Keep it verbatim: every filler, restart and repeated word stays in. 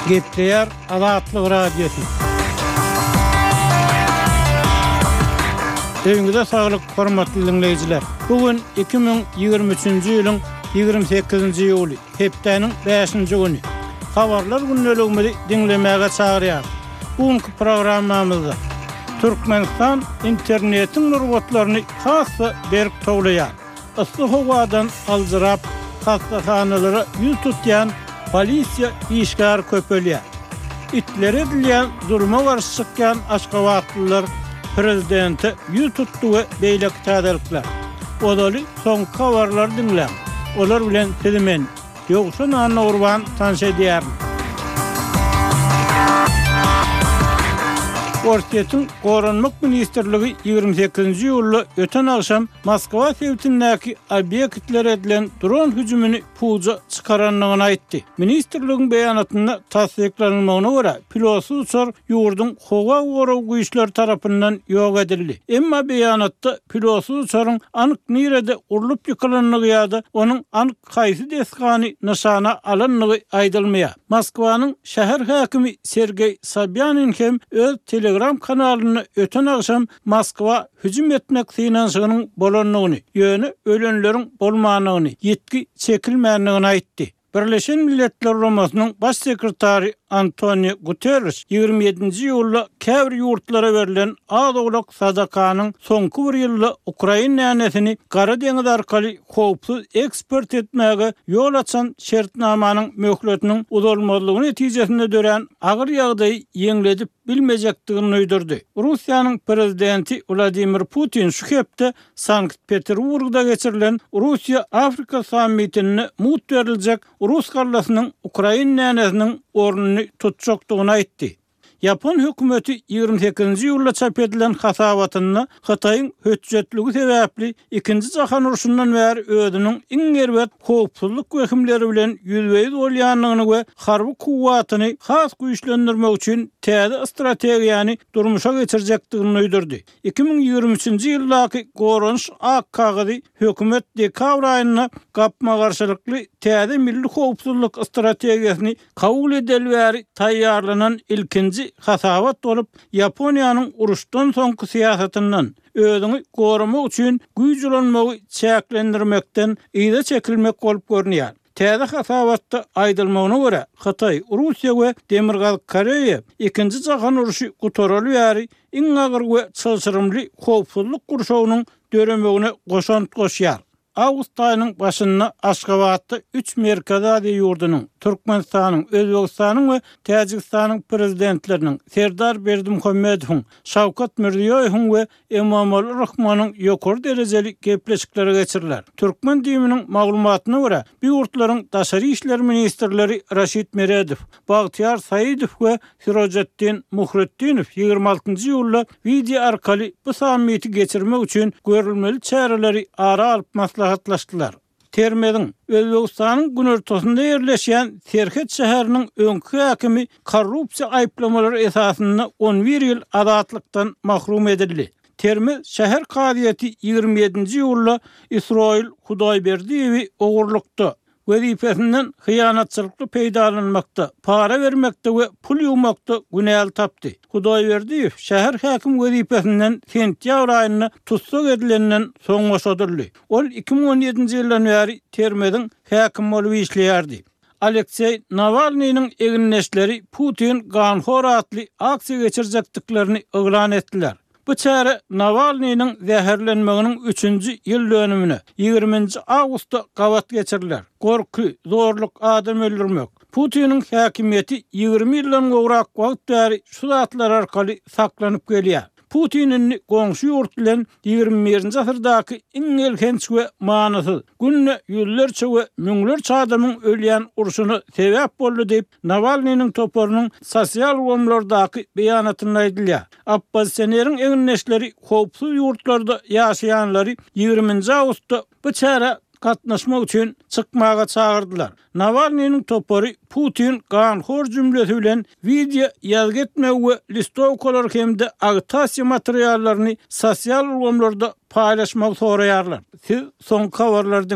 Gepleýär Azatlyk Radiosy. Öýüňize saglyk, hormatly diňleýjiler. Bu gün iki müň ýigrimi üçünji ýylyň ýigrimi sekizinji iýuly, hepdäniň bäşinji güni. Habarlar gündeligimizi diňlemäge çagyrýarys. Bu günki programmamyzda Türkmenistan internetiň nurbatlaryny has-da berk towlaýar. Yssy howadan aljyrap, hassahanalara ýüz tutýan polisiýa işgäri köpelýär. Itlere edilýän zuluma garşy çykýan aşgabatlylar prezidente ýüz tutdy we beýleki täzelikler. Ozaly soňky habarlary diňläň. Olar bilen sizi men, Ýowşan Annagurban tanyş edýärin. Orsýetiň Goranmak ministrligi ýigrimi sekizinji iýulda öten agşam Moskwa sebitindäki obýektlere edilen dron hüjümini puja çykarandygyny aýtdy. Ministrligiň beýanatynda tassyklanylmagyna görä, pilotsyz uçar ýurduň howa gorag güýçleri tarapyndan ýok edildi. Emma beýanatda pilotsyz uçaryň anyk nirede urlup ýykylandygy ýa-da onuň anyk haýsy desgany nyşana alandygy aýdylmaýar. Moskwanyň şäher häkimi Sergeý Sobýanin hem öz Telegram kanalynda öten agşam Moskwa hüjüm etmek synanyşygynyň bolandygyny, ýöne ölenleriň bolmandygyny, ýitgi çekilmändigini aýtdy. Birleşen Milletler Guramasynyň Baş sekretary Antonio Guterreş ýigrimi ýedinji iýulda käbir ýurtlara berlen az-owlak sadakanyň soňky bir ýylda ukrain dänesini Gara deňiz arkaly howpsuz eksport etmäge ýol açan şertnamanyň möhletiniň uzalmazlygy netijesinde dörän agyr ýagdaýy ýeňledip bilmejekdigini duýdurdy. Russiýanyň prezidenti Wladimir Putin şu hepde Sankt-Peterburgda geçirilen Russiýa-Afrika sammitinde mugt beriljek rus gallasynyň ukrain dänesiniň ornuny tutjakdygyny aýtdy. Ýapon hökümeti ýigrimi sekizinji iýulda çap edilen hasabatynda Hytaýyň hötjetligi sebäpli Ikinji jahan urşundan bäri özüniň iň erbet howpsuzlyk wehimleri bilen ýüzbe-ýüz bolýandygyny we harby kuwwatyny has güýçlendirmek üçin täze strategiýany durmuşa geçirjekdigini duýdurdy. Iki müň ýigrimi üçünji ýyldaky goranyş ak kagyzy hökümet dekabr aýynda gapma-garşylykly täze milli howpsuzlyk strategiýasyny kabul edeli bäri taýýarlanan ilkinji hasabat bolup, Ýaponiýanyň uruşdan soňky syýasatyndan, özüňi goramak üçin güýç ulanmagy çäklendirmekden yza çekilmek bolup görünýär. Täze hasabatda aýdylmagyna görä, Hytaý, Russiýa we Demirgazyk Koreýa Ikinji jahan urşy gutaraly bäri iň agyr we çylşyrymly howpsuzlyk gurşawynyň döremegine goşant goşýar. Awgust aýynyň başynda Aşgabatda üç Merkezi Aziýa ýurdunyň, Türkmenistanyň, Özbegistanyň we Täjigistanyň Prezidentleriniň Serdar Berdimuhamedowyň, Şawkat Mirziýoýewiň we Emomali Rahmonyň ýokary derejeli gepleşikleri geçiriler. Türkmen DIM-niň maglumatyna görä, bu ýurtlaryň daşary işler ministrleri Raşid Meredow, Bagtyýar Saidow we Sirojetdin Muhretdinow ýigrimi altynjy iýulda wideo arkaly bu sammiti geçirmek üçin görülmeli çäreleri ara alyp maslahatlaşdylar. Termeziň, Özbegistanyň günortasynda ýerleşýän serhet şäheriniň öňki häkimi korrupsiýa aýyplamalary esasynda on bir ýyl azatlykdan mahrum edildi. Termez şäher kazyýeti ýigrimi ýedinji iýulda Isroil Hudaýberdiýewi ogurlykda, wezipesinden hyýanatçylykly peýdalanmakda, para bermekde we pul ýuwmakda günäli tapdy. Hudaýberdiýew şäher häkim wezipesinden sentýabr aýynda tussag edilenden soň boşadyldy. Ol iki müň on ýedinji ýyldan bäri Termeziň häkimi bolup işleýärdi. Alekseý Nawalnynyň egindeşleri Putin ganhor atly aksiýa geçirjekdiklerini yglan etdiler. Bu çäre Nawalnynyň zäherlenmeginiň üçünji ýyl dönümine, ýigriminji awgustda gabat geçiriler. Gorky, zorluk, adam öldürmek. Putiniň häkimiýeti ýigrimi ýyldan gowrak wagt bäri şu zatlar arkaly saklanyp gelýär. Putin indi goňşy ýurt bilen ýigrimi birinji asyrdaky iň elhenç we manysyz, günde ýüzlerçe we müňlerçe adamyň ölýän urşuna sebäp boldy diýip, Nawalnynyň toparynyň sosial ulgamlardaky beýanatynda aýdylýar. Oppozisioneriň egindeşleri howpsuz ýurtlarda ýaşaýanlary ýigriminji awgustda bu çärä gatnaşmak üçin çykmaga çagyrdylar. Nawalnynyň topary Putin ganhor jümlesi bilen wideo ýazgy etmegi we listowkalary hem-de agitasiýa materiallaryny sosial ulgamlarda paýlaşmagy soraýarlar. Siz soňky habarlary diňläň.